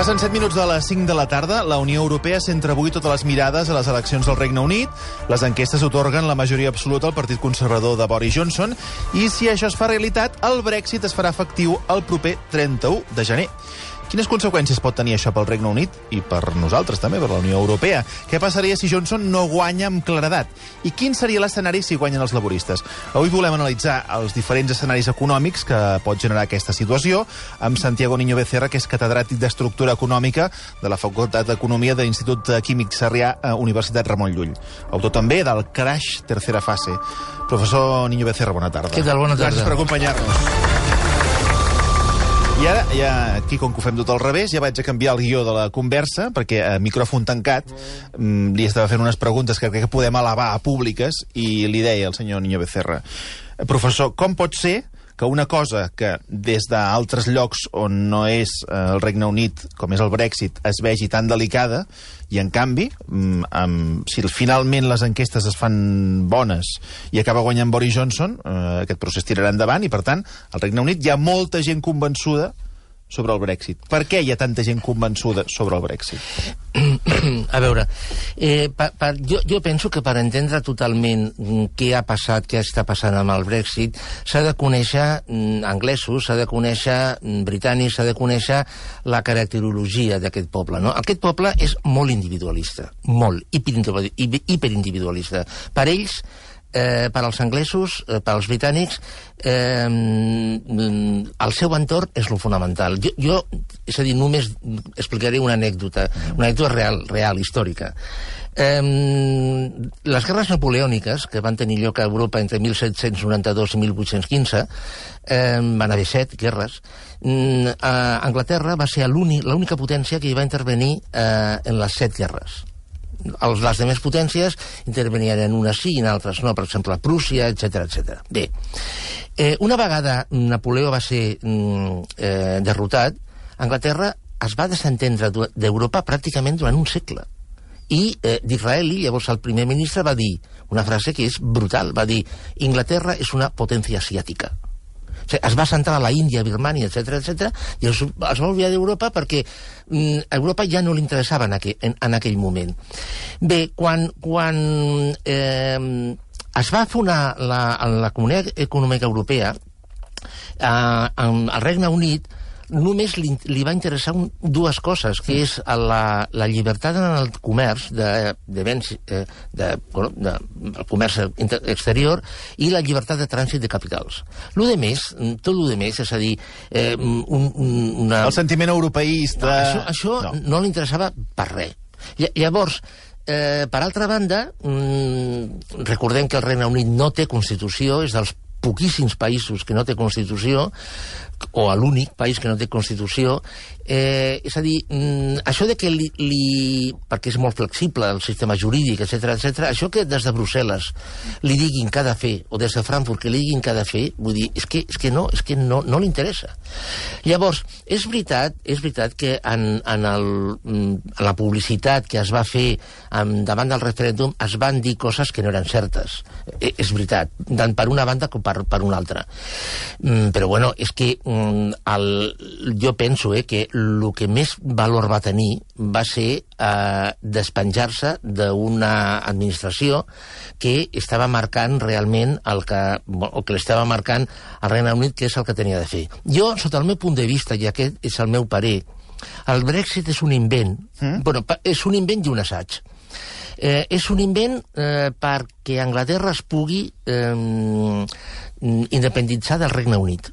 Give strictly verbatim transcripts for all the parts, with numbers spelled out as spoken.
Passen set minuts de les cinc de la tarda. La Unió Europea centra avui totes les mirades a les eleccions del Regne Unit. Les enquestes otorguen la majoria absoluta al Partit Conservador de Boris Johnson i, si això es fa realitat, el Brexit es farà efectiu el proper trenta-u de gener. Quines conseqüències pot tenir això pel Regne Unit i per nosaltres també, per la Unió Europea? Què passaria si Johnson no guanya amb claredat? I quin seria l'escenari si guanyen els laboristes? Avui volem analitzar els diferents escenaris econòmics que pot generar aquesta situació amb Santiago Niño Becerra, que és catedràtic d'Estructura Econòmica de la Facultat d'Economia de l'Institut Químic Sarrià, Universitat Ramon Llull. Autor també del Crash Tercera Fase. Professor Niño Becerra, bona tarda. Què tal? Bona tarda. Gràcies per acompanyar-nos. I ara, ja, aquí, com que ho fem tot al revés, ja vaig a canviar el guió de la conversa, perquè a micròfon tancat li estava fent unes preguntes que crec que podem elevar a públiques, i li deia al senyor Niño Becerra: professor, com pot ser que una cosa que des d'altres llocs on no és el Regne Unit, com és el Brexit, es vegi tan delicada, i en canvi, amb, si finalment les enquestes es fan bones i acaba guanyant Boris Johnson, eh, aquest procés tirarà endavant, i per tant, al Regne Unit hi ha molta gent convençuda sobre el Brexit. Per què hi ha tanta gent convençuda sobre el Brexit? A veure, eh, pa, pa, jo, jo penso que per entendre totalment què ha passat, què està passant amb el Brexit, s'ha de conèixer mm, anglesos, s'ha de conèixer mm, britànics, s'ha de conèixer la caracterologia d'aquest poble, no? Aquest poble és molt individualista, molt, hiperindividualista. Per ells, Eh, per als anglesos, eh, per als britànics, eh, el seu entorn és lo fonamental. Jo, jo, és a dir, només explicaré una anècdota, una anècdota real, real, històrica. Eh, les guerres napoleòniques, que van tenir lloc a Europa entre mil set-cents noranta-dos i mil vuit-cents quinze, eh, van haver set guerres. Eh, Anglaterra va ser l'única potència que hi va intervenir eh, en les set guerres. Els, les demés potències intervenien en unes sí i en altres no, per exemple Prússia, etcètera, etcètera. Bé, eh, una vegada Napoleó va ser mm, eh, derrotat, Anglaterra es va desentendre d'Europa pràcticament durant un segle. I eh, Disraeli, llavors el primer ministre, va dir una frase que és brutal, va dir: Inglaterra és una potència asiàtica. O sigui, es va centrar a la Índia, Birmània, etcètera, etcètera, i es, es va oblidar d'Europa perquè mm, Europa ja no li interessava en aquell, en, en aquell moment. Bé, quan, quan eh, es va fundar la, la Comunitat Econòmica Europea, eh, al Regne Unit només li, li va interessar un, dues coses, que és la, la llibertat en el comerç de, de béns, eh, de, bueno, de, el comerç exterior, i la llibertat de trànsit de capitals. Lo de més, tot lo de més, és a dir, eh, un, un, una... El sentiment europeista... No, això això no, no li interessava per res. Llavors, eh, per altra banda, mmm, recordem que el Regne Unit no té Constitució, és dels poquíssims països que no té Constitució, o a l'únic país que no té Constitució. Eh, és a dir, mm, això de que li, li... perquè és molt flexible el sistema jurídic, etcètera, etcètera, això que des de Brussel·les li diguin què ha de fer, o des de Frankfurt que li diguin què ha de fer, vull dir, és que, és que no, és que no, no li interessa. Llavors, és veritat, és veritat que en, en, el, en la publicitat que es va fer en, davant del referèndum es van dir coses que no eren certes. Eh, és veritat, tant per una banda com per, per una altra. Mm, però bueno, és que El, jo penso eh, que el que més valor va tenir va ser eh, despenjar-se d'una administració que estava marcant realment el que, o que l'estava marcant al Regne Unit, que és el que tenia de fer. Jo, sota el meu punt de vista, i aquest és el meu parer, el Brexit és un invent, mm? bueno, és un invent i un assaig. Eh, és un invent eh, perquè Anglaterra es pugui eh, independitzar del Regne Unit.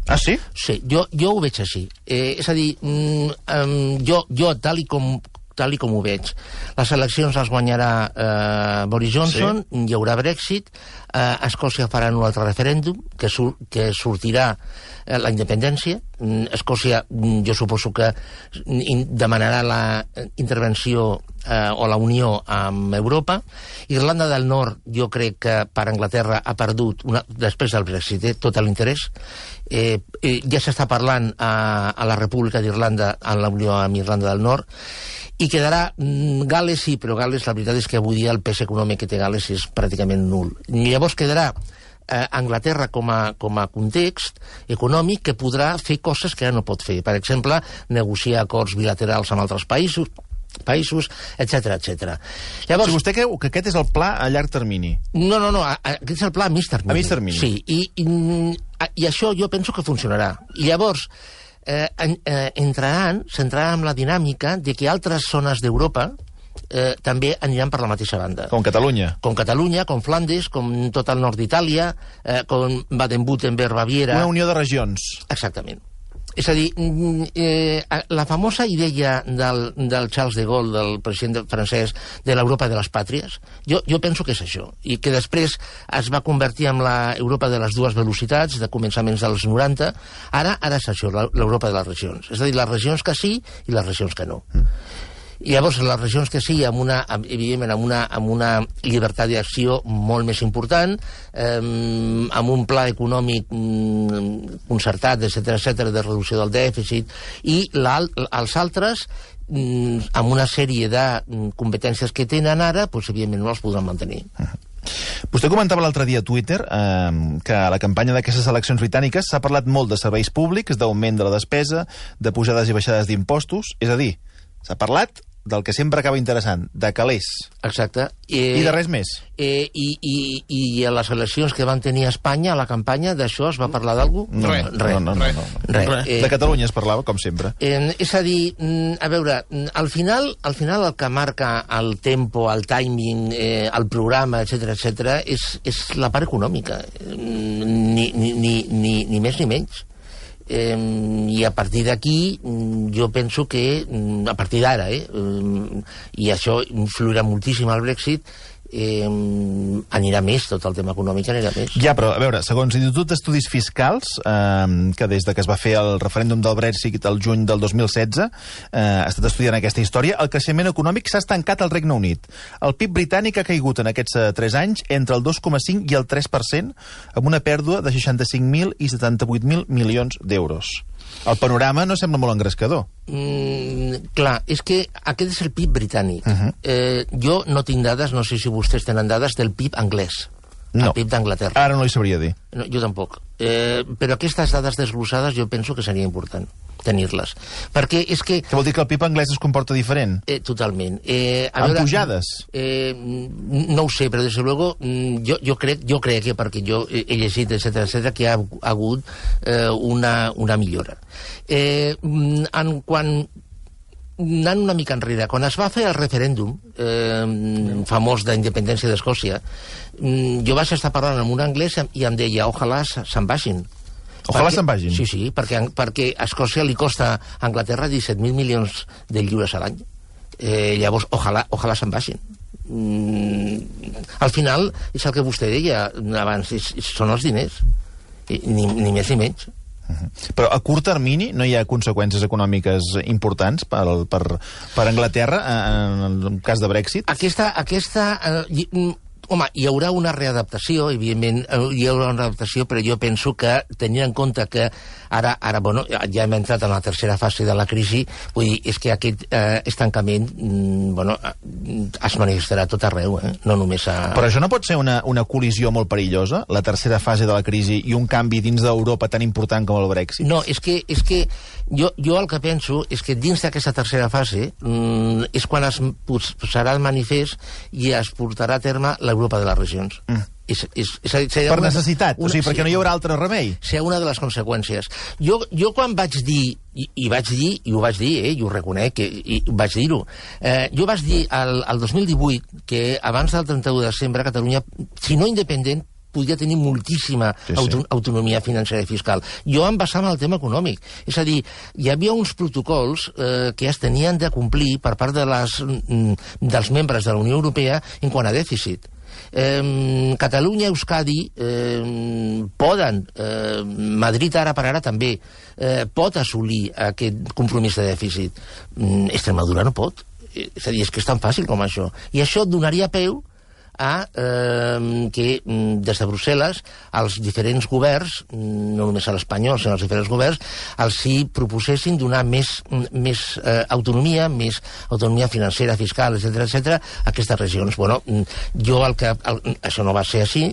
Ah, sí? Sí, jo, jo ho veig així. Eh, és a dir, mm, um, jo, jo tal, i com, tal i com ho veig, les eleccions les guanyarà eh, Boris Johnson, sí. Hi haurà Brexit, eh, Escòcia farà un altre referèndum que, sur que sortirà eh, la independència. Escòcia, jo suposo que demanarà la intervenció eh, o la unió amb Europa. Irlanda del Nord, jo crec que per Anglaterra ha perdut, una, després del Brexit, eh, tot l'interès. Eh, eh, ja s'està parlant a, a la República d'Irlanda, en la unió amb Irlanda del Nord, i quedarà mm, Gal·les, sí, però Gal·les, la veritat és que avui dia el pes econòmic que té Gal·les és pràcticament nul. Llavors quedarà eh, Anglaterra com a, com a context econòmic que podrà fer coses que ara no pot fer. Per exemple, negociar acords bilaterals amb altres països, països, etcètera, etcètera. Llavors, si vostè creu que aquest és el pla a llarg termini? No, no, no, a, a, aquest és el pla a mig termini. A mig termini. Sí, i, i, i això jo penso que funcionarà. I llavors, eh, eh, entraran, s'entraran en la dinàmica de que altres zones d'Europa eh, també aniran per la mateixa banda. Com Catalunya. Com Catalunya, com Flandes, com tot el nord d'Itàlia, eh, com Baden-Württemberg, Baviera... Una unió de regions. Exactament. És a dir, eh, la famosa idea del, del Charles de Gaulle, del president francès, de l'Europa de les pàtries, jo, jo penso que és això, i que després es va convertir en l'Europa de les dues velocitats, de començaments dels noranta, ara ara és això, l'Europa de les regions. És a dir, les regions que sí i les regions que no. Mm. I llavors, les regions que sí, amb una, evidentment, amb una, amb una llibertat d'acció molt més important, eh, amb un pla econòmic mm, concertat, etcètera, etcètera, de reducció del dèficit, i els altres, mm, amb una sèrie de competències que tenen ara, doncs, evidentment, no els podran mantenir. Vostè comentava l'altre dia a Twitter eh, que a la campanya d'aquestes eleccions britàniques s'ha parlat molt de serveis públics, d'augment de la despesa, de pujades i baixades d'impostos, és a dir, s'ha parlat del que sempre acaba interessant, de calés. Exacte. Eh, I de res més. Eh, i, i, I a les eleccions que van tenir a Espanya, a la campanya, d'això es va parlar d'algú? No, res. No, no, no, no, no. Res. Res. Eh, de Catalunya es parlava, com sempre. Eh, és a dir, a veure, al final, al final el que marca el tempo, el timing, eh, el programa, etcètera, etcètera, és, és la part econòmica. Ni, ni, ni, ni, ni més ni menys. Eh, i a partir d'aquí jo penso que a partir d'ara eh, i això influirà moltíssim al Brexit, eh, anirà més, tot el tema econòmic anirà més. Ja, però a veure, segons l'Institut d'Estudis Fiscals, eh, que des de que es va fer el referèndum del Brexit el juny del dos mil setze, eh, ha estat estudiant aquesta història, el creixement econòmic s'ha estancat al Regne Unit. El P I B britànic ha caigut en aquests eh, tres anys entre el dos coma cinc i el tres per cent, amb una pèrdua de seixanta-cinc mil i setanta-vuit mil milions d'euros. El panorama no sembla molt engrescador. Mm, clar, és que aquest és el P I B britànic. Uh -huh. eh, jo no tinc dades, no sé si vostès tenen dades del P I B anglès. No. El P I B d'Anglaterra. Ara no li sabria dir. No, jo tampoc. Eh, però aquestes dades desglossades jo penso que seria important tenir-les. Perquè és que... Que vol dir que el P I B anglès es comporta diferent? Eh, totalment. Eh, amb veure, pujades? Eh, no ho sé, però des de luego jo, jo, crec, jo crec que perquè jo he llegit, etcètera, etcètera, que ha, ha hagut eh, una, una millora. Eh, en quan... anant una mica enrere, quan es va fer el referèndum eh, famós d'independència d'Escòcia, jo vaig estar parlant amb un anglès i em deia, ojalà se'n vagin. Ojalà se'n vagin? Sí, sí, perquè, perquè a Escòcia li costa a Anglaterra disset mil milions de lliures a l'any. Eh, llavors, ojalà, ojalà se'n vagin. Mm, al final, és el que vostè deia abans, és, són els diners. Ni, ni més ni menys. Uh-huh. Però a curt termini no hi ha conseqüències econòmiques importants per, per, per Anglaterra en el cas de Brexit? Aquesta... aquesta eh, home, hi haurà una readaptació, evidentment, hi haurà una readaptació, però jo penso que, tenint en compte que ara, ara bueno, ja hem entrat en la tercera fase de la crisi, vull dir, és que aquest eh, estancament mm, bueno, es manifestarà tot arreu, eh? No només a... Però això no pot ser una, una col·lisió molt perillosa, la tercera fase de la crisi i un canvi dins d'Europa tan important com el Brexit? No, és que, és que jo, jo el que penso és que dins d'aquesta tercera fase mm, és quan es posarà el manifest i es portarà a terme l'Europa de les regions. Mm. És, és, és, és, per una, necessitat, una, o sigui, perquè sí, no hi haurà altre remei. Serà una de les conseqüències. Jo, jo quan vaig dir, i, i vaig dir, i ho vaig dir, eh, i ho reconec, i, i vaig dir-ho, eh, jo vaig dir al, al dos mil divuit que abans del trenta-u de desembre Catalunya, si no independent, podria tenir moltíssima sí, sí. Auto autonomia financera i fiscal. Jo em basava en el tema econòmic. És a dir, hi havia uns protocols eh, que es tenien de complir per part de les, dels membres de la Unió Europea en quant a dèficit. Eh, Catalunya, Euskadi eh, poden, eh, Madrid ara per ara també, eh, pot assolir aquest compromís de dèficit. Eh, Extremadura no pot. És a dir, és que és tan fàcil com això. I això donaria peu a eh, que des de Brussel·les els diferents governs, no només a l'espanyol, sinó els diferents governs, els hi proposessin donar més, més eh, autonomia, més autonomia financera, fiscal, etcètera, etcètera, a aquestes regions. Bueno, jo el que... El, això no va ser així,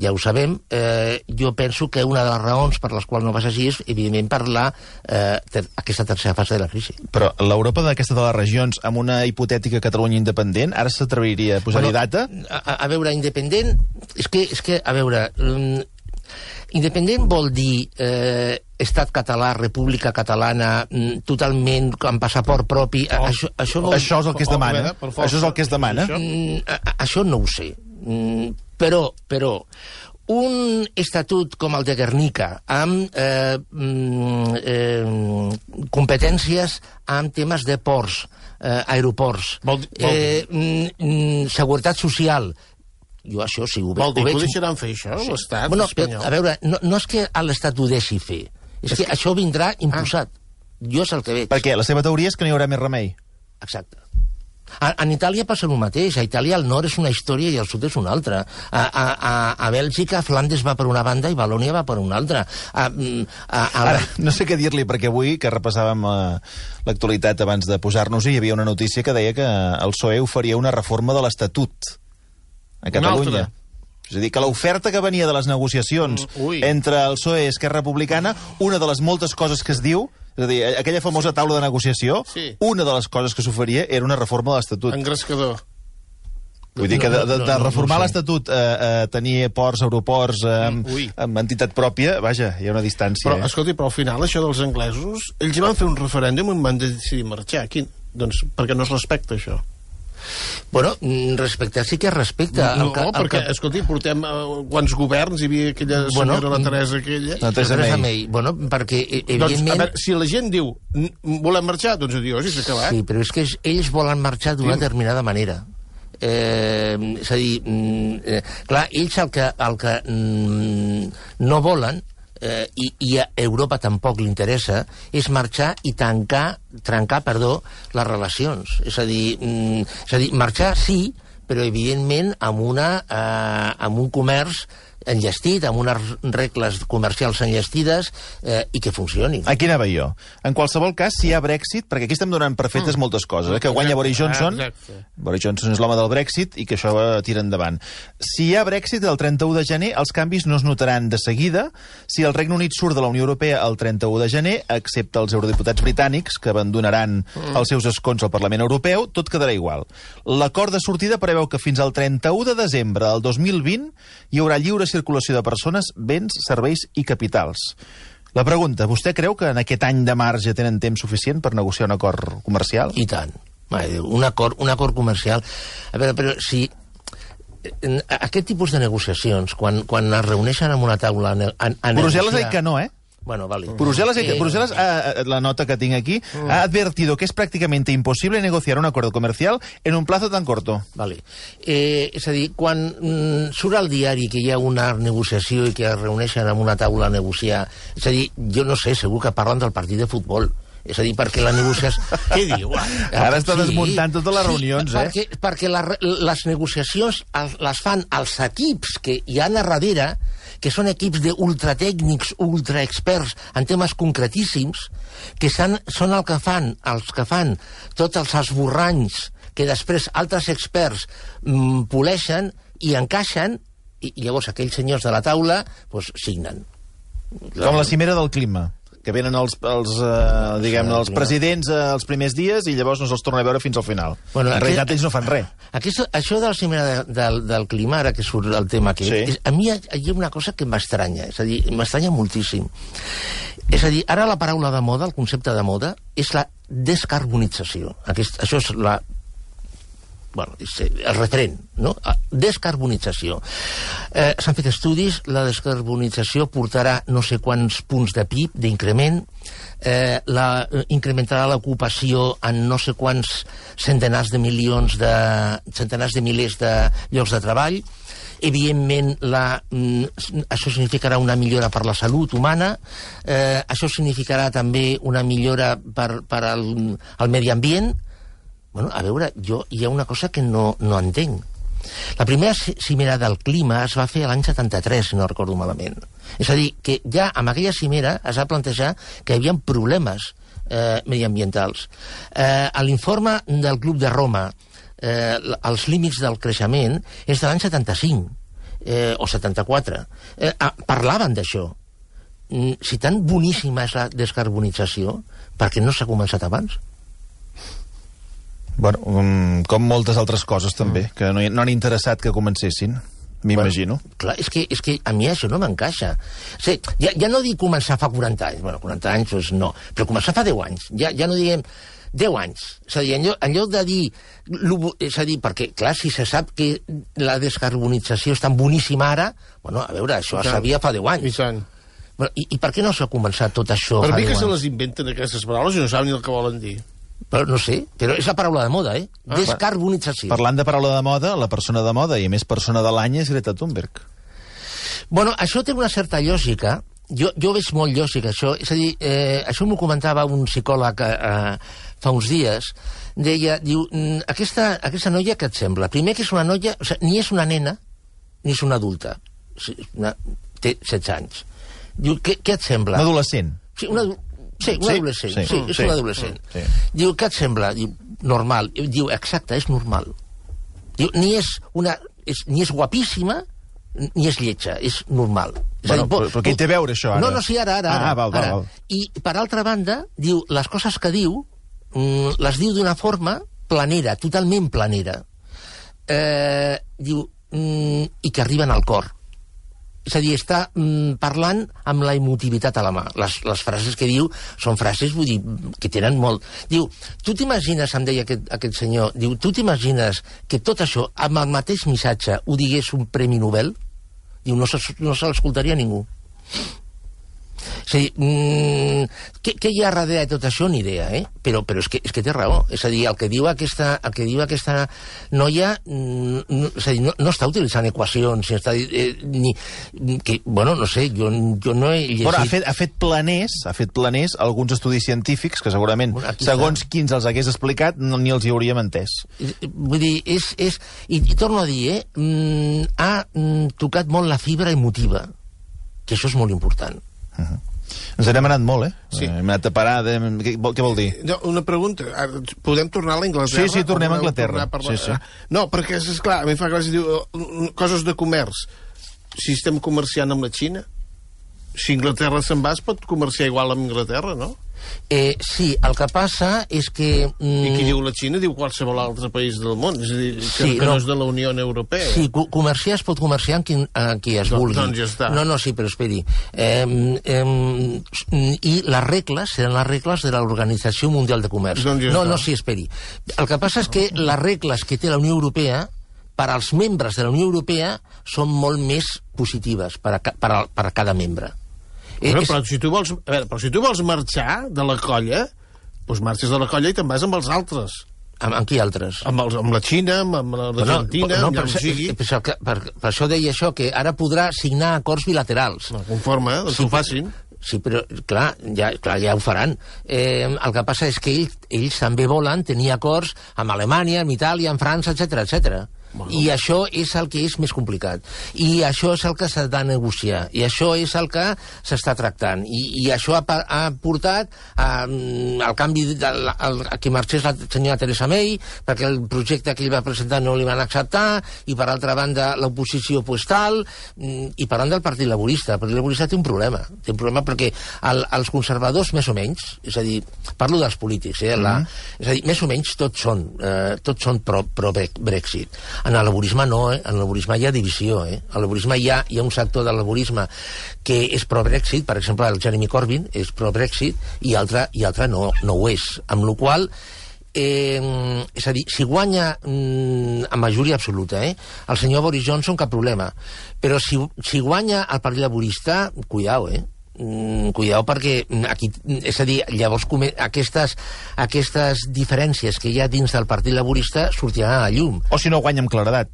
ja ho sabem. Eh, jo penso que una de les raons per les quals no va ser així és, evidentment, per la, eh, ter, aquesta tercera fase de la crisi. Però l'Europa d'aquesta de les regions, amb una hipotètica Catalunya independent, ara s'atreviria a posar-hi bueno, data? A, a veure, independent... És que, és que a veure... Um, independent vol dir eh, estat català, república catalana, mm, totalment amb passaport propi... Oh, això, això, vol... això és el que es demana. Oh, això és el que es demana. Mm, a, a, això no ho sé. Mm, però, però, un estatut com el de Guernica, amb eh, mm, eh, competències amb temes de ports, eh, aeroports, vol, vol... Eh, mm, seguretat social... Jo això sí ho, Vol dir ho veig... que ho deixaran fer, això, sí. l'Estat bueno, espanyol? A veure, no, no és que l'Estat ho deixi fer, és, és que, que això vindrà imposat. Ah. Jo és el que veig. Per què? La seva teoria és que no hi haurà més remei. Exacte. A, en Itàlia passa el mateix. A Itàlia el nord és una història i el sud és una altra. A, a, a, a Bèlgica, Flandes va per una banda i Valònia va per una altra. A, a, a... Ara, no sé què dir-li, perquè avui, que repassàvem uh, l'actualitat abans de posar-nos-hi, hi havia una notícia que deia que el P S O E oferia una reforma de l'Estatut a Catalunya. És a dir, que l'oferta que venia de les negociacions Ui. entre el P S O E i Esquerra Republicana, una de les moltes coses que es diu, és a dir, aquella famosa taula de negociació, sí. una de les coses que s'oferia era una reforma de l'Estatut. Engrescador. Vull dir que de, de, de reformar no, no, no l'Estatut, eh, eh, tenir ports, aeroports, eh, amb, amb entitat pròpia, vaja, hi ha una distància. Però, eh? escolti, però al final, això dels anglesos, ells van fer un referèndum i van decidir marxar. Quin? Doncs perquè no es respecta, això. Bueno, respectar sí que es respecta. No, el que, el perquè, que... escolti, portem uh, quants governs hi havia aquella senyora, bueno, la Teresa aquella... La Teresa May. May. Bueno, perquè, evidentment... Doncs, a veure, si la gent diu volem marxar, doncs adiós, i s'ha acabat. Sí, però és que ells volen marxar d'una determinada manera. Eh, és a dir, eh, clar, ells el que, el que mm, no volen, eh, i, i a Europa tampoc li interessa, és marxar i tancar, trencar, perdó, les relacions. És a dir, mm, és a dir marxar sí, però evidentment amb, una, eh, amb un comerç enllestit, amb unes regles comercials enllestides eh, i que funcionin. Aquí anava jo. En qualsevol cas, si hi ha Brexit, perquè aquí estem donant per fetes mm. moltes coses, eh, que guanya Boris Johnson, ah, Boris Johnson és l'home del Brexit i que això va tira endavant. Si hi ha Brexit el trenta-u de gener, els canvis no es notaran de seguida. Si el Regne Unit surt de la Unió Europea el trenta-u de gener, excepte els eurodiputats britànics, que abandonaran mm. els seus escons al Parlament Europeu, tot quedarà igual. L'acord de sortida preveu que fins al trenta-u de desembre del dos mil vint hi haurà lliure circulació de persones, béns, serveis i capitals. La pregunta, vostè creu que en aquest any de marge tenen temps suficient per negociar un acord comercial? I tant. Un acord, un acord comercial... A veure, però si... Aquest tipus de negociacions, quan, quan es reuneixen en una taula... A, a Brussel·les negociar... ha dit que no, eh? Bueno, vale. Bruselas, eh, Bruselas eh, la nota que tinc aquí, mm. ha advertido que es prácticamente imposible negociar un acuerdo comercial en un plazo tan corto. Vale. Eh, és a dir, quan mm, surt al diari que hi ha una negociació i que es reuneixen en una taula a negociar, és a dir, jo no sé, segur que parlen del partit de futbol. És a dir, perquè la negociació... Què diu? Ara està sí, desmuntant totes les reunions, sí, eh? Perquè, perquè la, les negociacions les fan els equips que hi ha a darrere, que són equips d'ultratècnics, ultraexperts en temes concretíssims, que són, són el que fan, els que fan tots els esborranys que després altres experts mm, poleixen i encaixen, i, i llavors aquells senyors de la taula pues, signen. Com la cimera del clima, que venen els, els, eh, diguem, els presidents eh, els primers dies i llavors no se'ls torna a veure fins al final. Bueno, en realitat ells no fan res. Aquest, això de la cimera de, del, del clima, ara que surt el tema aquest, sí. és, a mi hi ha una cosa que m'estranya, és a dir, m'estranya moltíssim. És a dir, ara la paraula de moda, el concepte de moda, és la descarbonització. Aquest, això és la... Bueno, el referent, no? Descarbonització. Eh, S'han fet estudis, la descarbonització portarà no sé quants punts de P I B d'increment, eh, la, incrementarà l'ocupació en no sé quants centenars de milions de... centenars de milers de llocs de treball. Evidentment, la, això significarà una millora per la salut humana, eh, això significarà també una millora per, per al, al medi ambient. Bueno, a veure, jo hi ha una cosa que no, no entenc. La primera cimera del clima es va fer l'any setanta-tres, si no recordo malament. És a dir, que ja amb aquella cimera es va plantejar que hi havia problemes eh, mediambientals. Eh, a l'informe del Club de Roma, eh, els límits del creixement és de l'any setanta-cinc eh, o setanta-quatre. Eh, ah, parlaven d'això. Mm, si tan boníssima és la descarbonització, per què no s'ha començat abans? Bueno, um, com moltes altres coses també, que no, no han interessat que comencessin, m'imagino. Bueno, clar, és que, és que a mi això no m'encaixa. O sigui, ja, ja no dic començar fa quaranta anys, bueno, quaranta anys, doncs no, però començar fa deu anys, ja, ja no diguem deu anys. És a dir, en lloc, en lloc de dir... És a dir, perquè, clar, si se sap que la descarbonització és tan boníssima ara, bueno, a veure, això es sabia fa deu anys. I tant. Bueno, i, I per què no s'ha començat tot això per fa mi deu que anys? se les inventen aquestes paraules i no saben ni el que volen dir. Però no sé, però és la paraula de moda, eh? Ah, descarbonització. Parlant de paraula de moda, la persona de moda i a més persona de l'any és Greta Thunberg. Bueno, això té una certa lògica. Jo, jo veig molt lògica, això. És a dir, eh, això m'ho comentava un psicòleg eh, fa uns dies. Deia, diu, aquesta, aquesta noia què et sembla? Primer que és una noia, o sigui, ni és una nena, ni és una adulta. O sigui, una, té setze anys. Diu, què, què et sembla? Un adolescent. Sí, una, sí, un sí, adolescent. sí, Sí, és sí, un adolescent. sí. Diu, què et sembla? Diu, normal. Diu, exacte, és normal. Diu, ni és una... És, ni és guapíssima, ni és lletja, és normal. És Bueno, a dir, po, però, però què hi té a veure, això, ara? No, no, sí, ara, ara. Ah, ara, val, val, ara. val. I, per altra banda, diu, les coses que diu, mm, les diu d'una forma planera, totalment planera. Eh, diu, mm, i que arriben al cor. És a dir, està mm, parlant amb la emotivitat a la mà. Les, les frases que diu són frases, vull dir, que tenen molt... Diu, tu t'imagines, em deia aquest, aquest senyor, diu, tu t'imagines que tot això, amb el mateix missatge, ho digués un premi Nobel? Diu, no se, no se l'escoltaria ningú. És a dir, mmm, què, què hi ha darrere de tot això? Ni idea, eh? Però, però és, que, és que té raó. És a dir, el que diu aquesta, el que diu aquesta noia mm, no, és a dir, no, no està utilitzant equacions, ni està, eh, ni, que, bueno, no sé, jo, jo no he llegit... Bueno, ha fet, ha fet planers, ha fet planers alguns estudis científics que segurament, bueno, segons està. Quins els hagués explicat, no, ni els hi hauríem entès. Vull dir, és... és i, i torno a dir, eh? Mm, ha mm, tocat molt la fibra emotiva, que això és molt important. Uh -huh. Ens n'hem anat molt, eh? Sí. Hem anat a parar... De... Què, vol, què vol dir? No, una pregunta. Podem tornar a l'Anglaterra? Sí, sí, tornem a Anglaterra. Per... Sí, sí. No, perquè, és clar, a mi em fa gràcia, diu, coses de comerç. Si estem comerciant amb la Xina, si Anglaterra se'n va, es pot comerciar igual amb Anglaterra, no? Eh, sí, el que passa és que... Mm, I qui diu la Xina diu qualsevol altre país del món, és a dir, que, sí, que no, no és de la Unió Europea. Sí, co comerciar es pot comerciar amb qui, amb qui es No, vulgui. doncs ja està. No, no, sí, però esperi. Eh, eh, I les regles seran les regles de l'Organització Mundial de Comerç. Doncs ja no, està. no, sí, esperi. El que passa és que les regles que té la Unió Europea per als membres de la Unió Europea són molt més positives per a, per a, per a cada membre. Bueno, és... però, si tu vols, a veure, però si tu vols marxar de la colla, doncs marxes de la colla i te'n vas amb els altres. Amb, amb qui altres? Amb, els, amb la Xina, amb, amb l'Argentina, no, amb per, amb per, sigui. per, per, per, per això deia això, que ara podrà signar acords bilaterals. No, conforme, eh, doncs Sí, ho facin. Sí, però, clar, ja, clar, ja ho faran. Eh, el que passa és que ells, ells també volen tenir acords amb Alemanya, amb Itàlia, amb França, etcètera, etcètera. Bueno. I això és el que és més complicat. I això és el que s'ha de negociar. I això és el que s'està tractant. I, i això ha, ha portat a, al canvi de, a, a que marxés la senyora Theresa May, perquè el projecte que ell va presentar no li van acceptar, i per altra banda l'oposició pues tal, i parlant del Partit Laborista. El Partit Laborista té un problema. Té un problema perquè el, els conservadors, més o menys, és a dir, parlo dels polítics, eh, la, mm. és a dir, més o menys tots són, eh, tots són pro, pro Brexit. En el laborisme no, eh? En el laborisme hi ha divisió, eh? En el laborisme hi ha, hi ha un sector del laborisme que és pro-Brexit, per exemple, el Jeremy Corbyn és pro-Brexit, i altre, i altre no, no ho és. Amb la qual eh, és a dir, si guanya mm, a majoria absoluta, eh? El senyor Boris Johnson, cap problema. Però si, si guanya el Partit Laborista, cuidao, eh? Mm, cuidao, perquè aquí, és a dir, llavors aquestes, aquestes diferències que hi ha dins del Partit Laborista sortiran a la llum. O si no guanya amb claredat.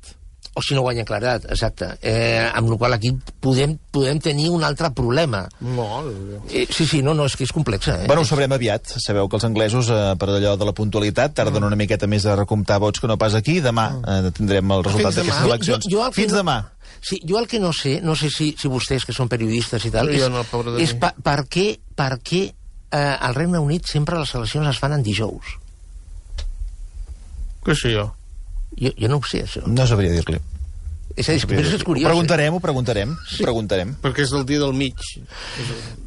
o si no guanyen claredat, exacte. Eh, amb la qual aquí podem, podem tenir un altre problema. Molt. Eh, sí, sí, no, no, és que és complexa. Eh? Bueno, ho sabrem aviat. Sabeu que els anglesos, eh, per allò de la puntualitat, tarden una miqueta més a recomptar vots que no pas aquí. Demà eh, tindrem el resultat d'aquestes eleccions. Jo, jo Fins no, demà. Sí, jo el que no sé, no sé si, si vostès, que són periodistes i tal, Jo és, no, pobre de és mi. pa, per què, per què eh, al Regne Unit sempre les eleccions es fan en dijous? Què sé jo? Jo, jo no ho sé, això. No sabria dir-li. És a dir, però és Ho curiós. preguntarem, ho preguntarem. Sí. Ho preguntarem. Perquè és el dia del mig.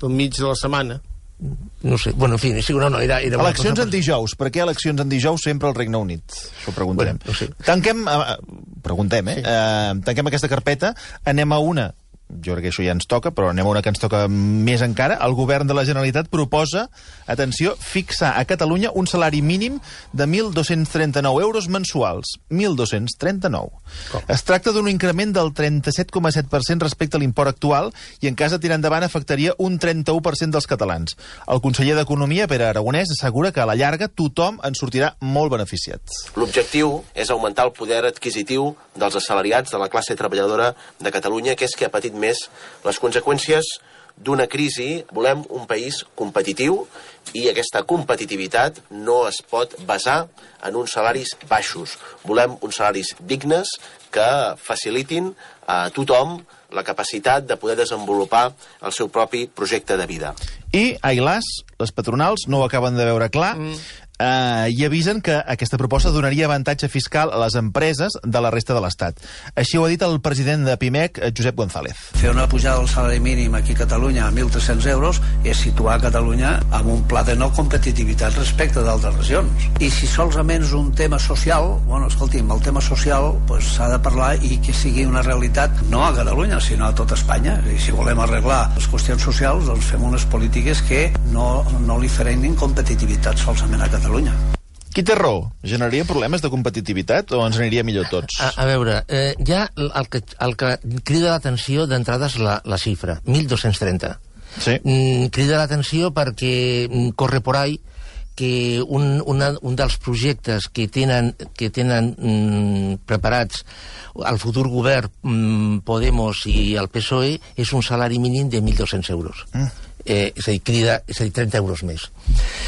Del mig de la setmana. Eh? No sé, bueno, en fi, sí, no, no, era... era una Eleccions cosa... en dijous. Per què eleccions en dijous sempre al Regne Unit? Això ho preguntarem. Bueno, no sé. Tanquem... Eh, preguntem, eh? Sí. eh? Tanquem aquesta carpeta. Anem a una... Jo crec que això ja ens toca, però anem a una que ens toca més encara. El govern de la Generalitat proposa, atenció, fixar a Catalunya un salari mínim de mil dos-cents trenta-nou euros mensuals. mil dos-cents trenta-nou. Com? Es tracta d'un increment del trenta-set coma set per cent respecte a l'import actual i en cas de tirar endavant afectaria un trenta-u per cent dels catalans. El conseller d'Economia, Pere Aragonès, assegura que a la llarga tothom en sortirà molt beneficiat. L'objectiu és augmentar el poder adquisitiu dels assalariats de la classe treballadora de Catalunya, que és que ha patit més les conseqüències d'una crisi. Volem un país competitiu i aquesta competitivitat no es pot basar en uns salaris baixos. Volem uns salaris dignes que facilitin a tothom la capacitat de poder desenvolupar el seu propi projecte de vida. I, ai las, les patronals no ho acaben de veure clar, mm. Uh, i avisen que aquesta proposta donaria avantatge fiscal a les empreses de la resta de l'Estat. Així ho ha dit el president de Pimec, Josep González. Fer una pujada del salari mínim aquí a Catalunya a mil tres-cents euros és situar Catalunya amb un pla de no competitivitat respecte d'altres regions. I si solament és un tema social, bueno, escolti'm, el tema social pues, s'ha de parlar i que sigui una realitat no a Catalunya, sinó a tota Espanya. I si volem arreglar les qüestions socials, doncs fem unes polítiques que no, no li frenin competitivitat solament a Catalunya. Catalunya. Qui té raó? Generaria problemes de competitivitat o ens aniria millor tots? A, a veure, eh, ja el que, el que crida l'atenció d'entrada és la, la xifra, mil dos-cents trenta. Sí. Mm, crida l'atenció perquè mm, corre por ahí que un, una, un dels projectes que tenen, que tenen mm, preparats el futur govern mm, Podemos i el P S O E és un salari mínim de mil dos-cents euros. Mm. Eh, és a dir, crida, és a dir, trenta euros més.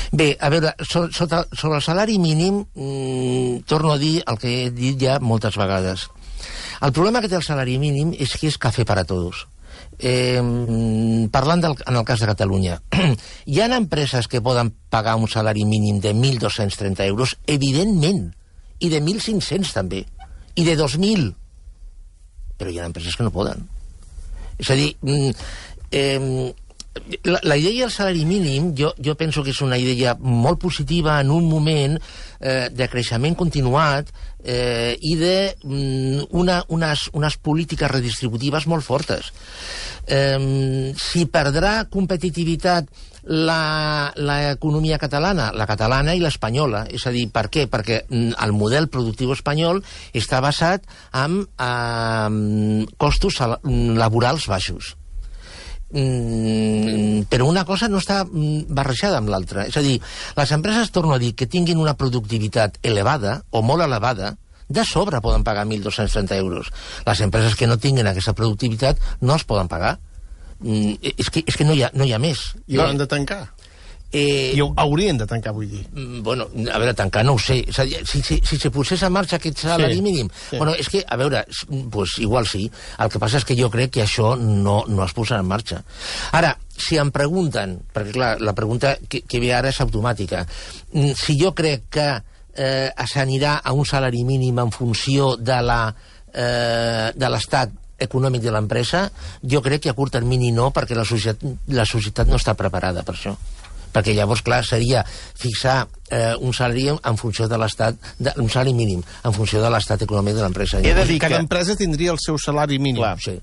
Bé, a veure, so, sota, sobre el salari mínim, mmm, torno a dir el que he dit ja moltes vegades. El problema que té el salari mínim és que és cafè per a tots. Eh, parlant del, en el cas de Catalunya, hi ha empreses que poden pagar un salari mínim de mil dos-cents trenta euros, evidentment, i de mil cinc-cents també, i de dos mil, però hi ha empreses que no poden. És a dir, eh, La, la idea del salari mínim jo, jo penso que és una idea molt positiva en un moment eh, de creixement continuat eh, i de mm, una, unes, unes polítiques redistributives molt fortes. Eh, si perdrà competitivitat l'economia catalana, la catalana i l'espanyola. És a dir, per què? Perquè el model productiu espanyol està basat en eh, costos laborals baixos. Mm, però una cosa no està barrejada amb l'altra. És a dir, les empreses, torno a dir, que tinguin una productivitat elevada o molt elevada, de sobre poden pagar mil dos-cents trenta euros. Les empreses que no tinguin aquesta productivitat no els poden pagar. Mm, és que, és que no, hi ha, no hi ha més. I hauran de tancar. Eh, I haurien de tancar, vull dir. Bueno, a veure, tancar no ho sé. És a dir, si, si, si se posés en marxa aquest salari sí, mínim... Sí. Bueno, és que, a veure, pues, igual sí. El que passa és que jo crec que això no, no es posarà en marxa. Ara, si em pregunten, perquè clar, la pregunta que, que ve ara és automàtica, si jo crec que eh, s'anirà a un salari mínim en funció de la eh, de l'estat econòmic de l'empresa, jo crec que a curt termini no, perquè la societat, la societat no està preparada per això. Perquè llavors, clar, seria fixar eh, un salari en funció de l'estat, un salari mínim, en funció de l'estat econòmic de l'empresa. He de dir que cada empresa tindria el seu salari mínim. Clar, sí,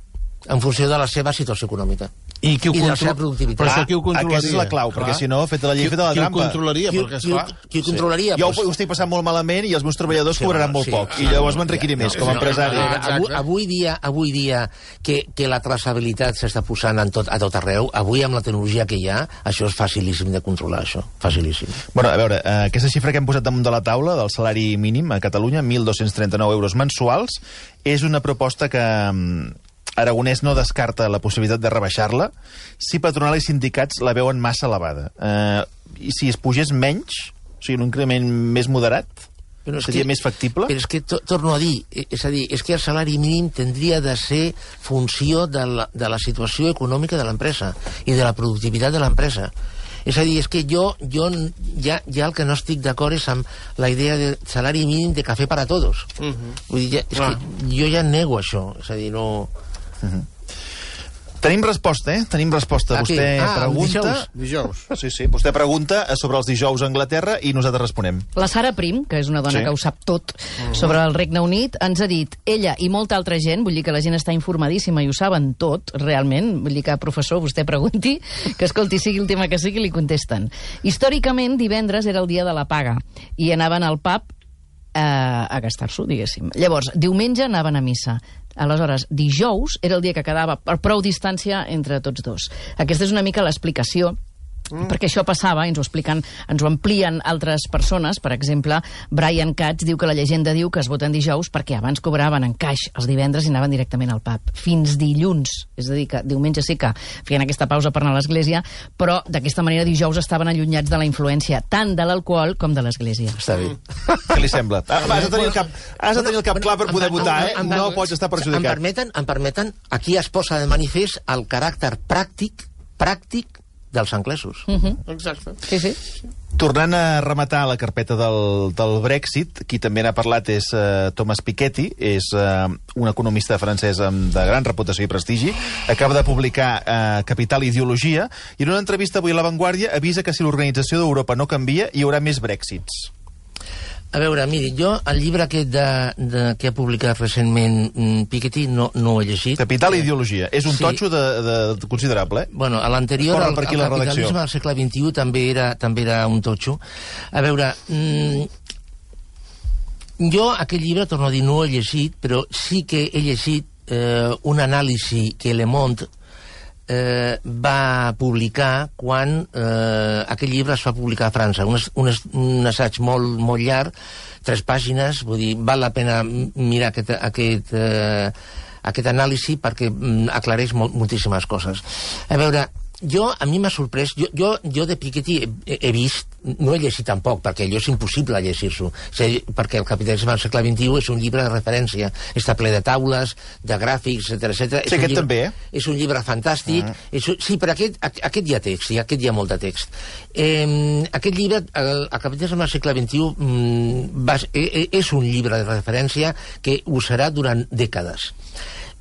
en funció de la seva situació econòmica. I, qui ho i de la contro- seva productivitat. Però això qui ho controlaria? Aquesta és la clau, perquè Clar. si no, feta la llei, feta la Qui ho trampa. controlaria? Qui, Perquè, qui, esclar... qui ho controlaria? Jo Pues- ho estic passant molt malament i els meus treballadors Sí, cobraran home, molt sí, poc. sí, I llavors no, m'enriquiré més no, com a no, empresari. no, no, Exacte. avui, avui dia, avui dia que, que la traçabilitat s'està posant en tot, a tot arreu, avui amb la tecnologia que hi ha, això és facilíssim de controlar, això. Facilíssim. Bueno, a veure, eh, aquesta xifra que hem posat damunt de la taula del salari mínim a Catalunya, mil dos-cents trenta-nou euros mensuals, és una proposta que mm, Aragonès no descarta la possibilitat de rebaixar-la si patronal i sindicats la veuen massa elevada. Eh, I si es pugés menys, o sigui, un increment més moderat, Però és seria que, més factible? Però és que, to, torno a dir, eh, és a dir, és que el salari mínim tindria de ser funció de la, de la situació econòmica de l'empresa i de la productivitat de l'empresa. És a dir, és que jo, jo ja, ja el que no estic d'acord és amb la idea de salari mínim de cafè per a tots. Uh -huh. Vull dir, ja, és Ah. que jo ja nego això. És a dir, no... Uh -huh. Tenim resposta, eh? Tenim resposta. Aquí. Vostè Ah, pregunta... dijous. Dijous. Sí, sí. Vostè pregunta sobre els dijous a Anglaterra i nosaltres responem. La Sara Prim, que és una dona Sí. que ho sap tot sobre el Regne Unit, ens ha dit, ella i molta altra gent, vull dir que la gent està informadíssima i ho saben tot, realment, vull dir que, professor, vostè pregunti, que escolti, sigui el tema que sigui, li contesten. Històricament, divendres era el dia de la paga i anaven al pub eh, a gastar-s'ho, diguéssim. Llavors, diumenge anaven a missa. Aleshores, dijous era el dia que quedava per prou distància entre tots dos. Aquesta és una mica l'explicació, Mm. perquè això passava, ens ho expliquen, ens ho amplien altres persones. Per exemple, Brian Katz diu que la llegenda diu que es voten dijous perquè abans cobraven en caix els divendres i anaven directament al pub. Fins dilluns. És a dir, que diumenge sí que feien aquesta pausa per anar a l'església, però d'aquesta manera dijous estaven allunyats de la influència tant de l'alcohol com de l'església. Està bé. Què li sembla? Ah, has de tenir el cap, has de tenir el cap clar per poder Em- votar, eh? em- em- No em- pots estar Em perjudicat. permeten, em permeten, aquí es posa de manifest el caràcter pràctic, pràctic dels anglesos. Uh -huh. Exacte. Sí, sí. Tornant a rematar la carpeta del, del Brexit, qui també n'ha parlat és uh, Thomas Piketty, és uh, un economista francès amb, de gran reputació i prestigi. Acaba de publicar uh, Capital i Ideologia, i en una entrevista avui a La Vanguardia avisa que si l'organització d'Europa no canvia, hi haurà més Brexits. A veure, miri, jo el llibre aquest de, de, que ha publicat recentment mm, Piketty no, no ho he llegit. Capital i Ideologia. És un Sí. totxo de, de, de considerable, eh? Bueno, a l'anterior, Corre el, per el aquí la capitalisme redacció. del segle vint-i-u també era, també era un totxo. A veure, mm, jo aquest llibre, torno a dir, no ho he llegit, però sí que he llegit eh, un anàlisi que Le Monde eh, va publicar quan eh, aquest llibre es va publicar a França. Un, es- un, es- un assaig molt, molt llarg, tres pàgines, vull dir, val la pena mirar aquest, aquest, eh, aquest anàlisi perquè mm, aclareix molt, moltíssimes coses. A veure, jo, a mi m'ha sorprès, jo, jo, jo de Piketty he, he vist, no he llegit tampoc, perquè allò és impossible llegir-s'ho, és a dir, perquè el capitalisme del segle vint-i-u és un llibre de referència, està ple de taules, de gràfics, etcètera, etcètera. Sí, És un aquest llibre, també, eh? És un llibre fantàstic, mm. és, un- sí, però aquest, a- aquest hi ha text, sí, aquest hi ha molt de text. Eh, aquest llibre, el, el capitalisme del segle vint-i-u, mm, va, eh, és un llibre de referència que ho serà durant dècades.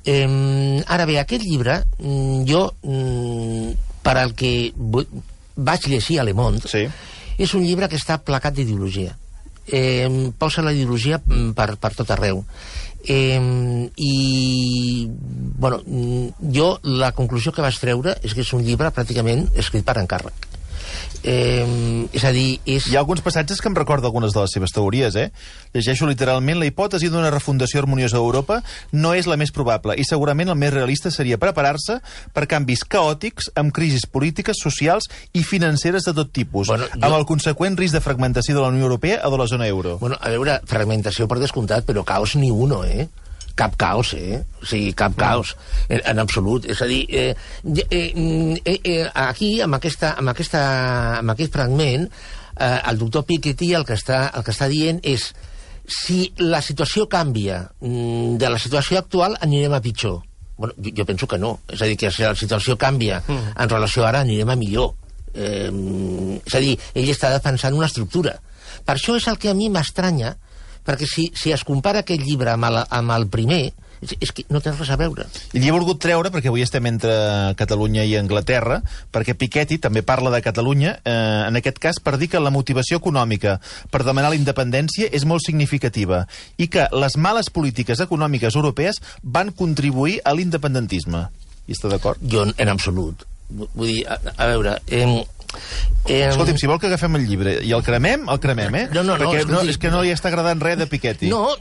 Eh, ara bé, aquest llibre, mm, jo, mm, per al que vu- vaig llegir a Le Monde, Sí. és un llibre que està placat d'ideologia. Eh, posa la ideologia mm, per, per tot arreu. Eh, I, bueno, mm, jo la conclusió que vaig treure és que és un llibre pràcticament escrit per encàrrec. Eh, és a dir, és... Hi ha alguns passatges que em recorda algunes de les seves teories, eh? Llegeixo literalment: la hipòtesi d'una refundació harmoniosa d'Europa no és la més probable i segurament el més realista seria preparar-se per canvis caòtics amb crisis polítiques, socials i financeres de tot tipus, Bueno, jo- amb el conseqüent risc de fragmentació de la Unió Europea o de la zona euro. Bueno, a veure, fragmentació per descomptat, però caos ni uno, eh? Cap caos, eh? O sigui, cap caos, en, en absolut. És a dir, eh, eh, eh, eh, aquí, amb, aquesta, amb, aquesta, amb aquest fragment, eh, el doctor Piketty el que, està, el que està dient és si la situació canvia mm, de la situació actual, anirem a pitjor. Bueno, jo, jo penso que no. És a dir, que si la situació canvia mm. en relació a ara, anirem a millor. Eh, és a dir, ell està defensant una estructura. Per això és el que a mi m'estranya, perquè si, si es compara aquest llibre amb el, amb el primer, és, és que no té res a veure. I l'hi he volgut treure perquè avui estem entre Catalunya i Anglaterra, perquè Piketty també parla de Catalunya, eh, en aquest cas per dir que la motivació econòmica per demanar la independència és molt significativa i que les males polítiques econòmiques europees van contribuir a l'independentisme. Hi està d'acord? Jo, en absolut. Vull dir, a, a veure... Eh, Eh, Escolti'm, si vol que agafem el llibre i el cremem, el cremem, eh? No, no, no, Perquè no, escolti, és que no li està agradant res de Piketty. No,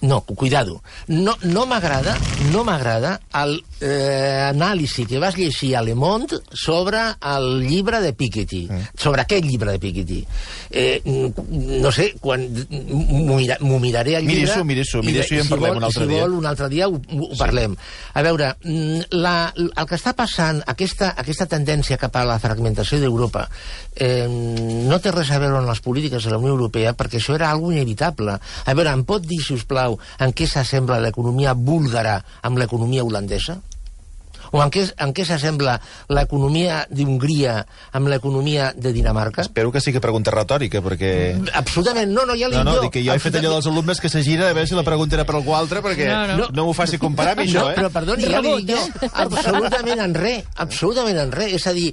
no, cuidado. No, no m'agrada, no m'agrada el eh, anàlisi que vas llegir a Le Monde sobre el llibre de Piketty, mm. sobre aquest llibre de Piketty. Eh, no sé, quan m'ho mira, miraré al llibre... Miri-s'ho, miri-s'ho, miri-s'ho i en parlem vol, un altre si dia. Si vol, un altre dia ho, ho sí. parlem. A veure, la, el que està passant, aquesta, aquesta tendència cap a la fragmentació d'Europa, eh, no té res a veure amb les polítiques de la Unió Europea, perquè això era algo inevitable. A veure, em pot dir, si us plau, en què s'assembla l'economia búlgara amb l'economia holandesa? O en què, en què s'assembla l'economia d'Hongria amb l'economia de Dinamarca? Espero que sigui pregunta retòrica, perquè... Absolutament, no, no, ja l'he no, no, jo. Dic que jo he fet allò dels alumnes que s'agira a veure si la pregunta era per algú altre, perquè no, no. no m'ho faci comparar amb això, no, eh? Però, perdoni, ja l'he dit jo, absolutament en res, absolutament en res. És a dir,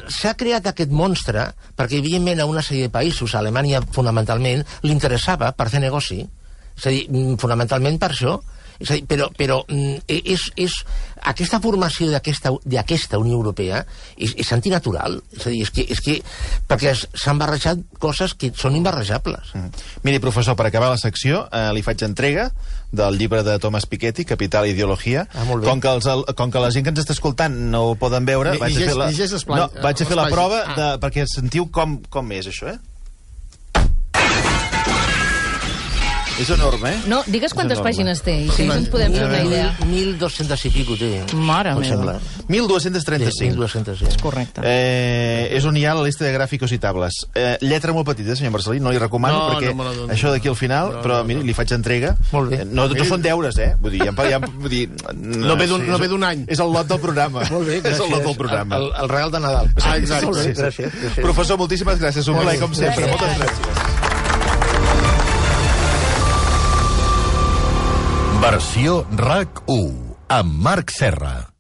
s'ha creat aquest monstre perquè, evidentment, a una sèrie de països, a Alemanya fonamentalment, li interessava per fer negoci. És a dir, fonamentalment per això. És a dir, però, però és, és, aquesta formació d'aquesta Unió Europea és, és antinatural. És a dir, és que, és que perquè s'han barrejat coses que són imbarrejables. Mm. Miri, professor, per acabar la secció, eh, li faig entrega del llibre de Thomas Piketty, Capital i Ideologia. Ah, com, que els, com que la gent que ens està escoltant no ho poden veure, Ni, vaig a fer la, plan, no, vaig a fer la prova ah. de, perquè sentiu com, com és això, eh? És enorme, eh? No, digues quantes pàgines té, i si ens podem fer una idea. mil dos-cents i pico té. Mare meva. mil dos-cents trenta-cinc. mil dos-cents trenta-cinc. És correcte. Eh, és on hi ha la llista de gràficos i tables. Eh, lletra molt petita, senyor Marcelí, no li recomano, no, perquè no no, això d'aquí al final, no, però no, miri, no. li faig entrega. Molt bé. No, no són deures, eh? Vull dir, ja, ja, vull dir, no, no ve d'un no ve d'un any. És el lot del programa. Molt bé, gràcies. És el lot del programa. El, el, el regal de Nadal. Ah, exacte. Molt bé, Sí, sí. gràcies, gràcies. Professor, moltíssimes gràcies. Un plaer, com sempre. Gràcies. Moltes gràcies. Versió RAC u amb Marc Serra.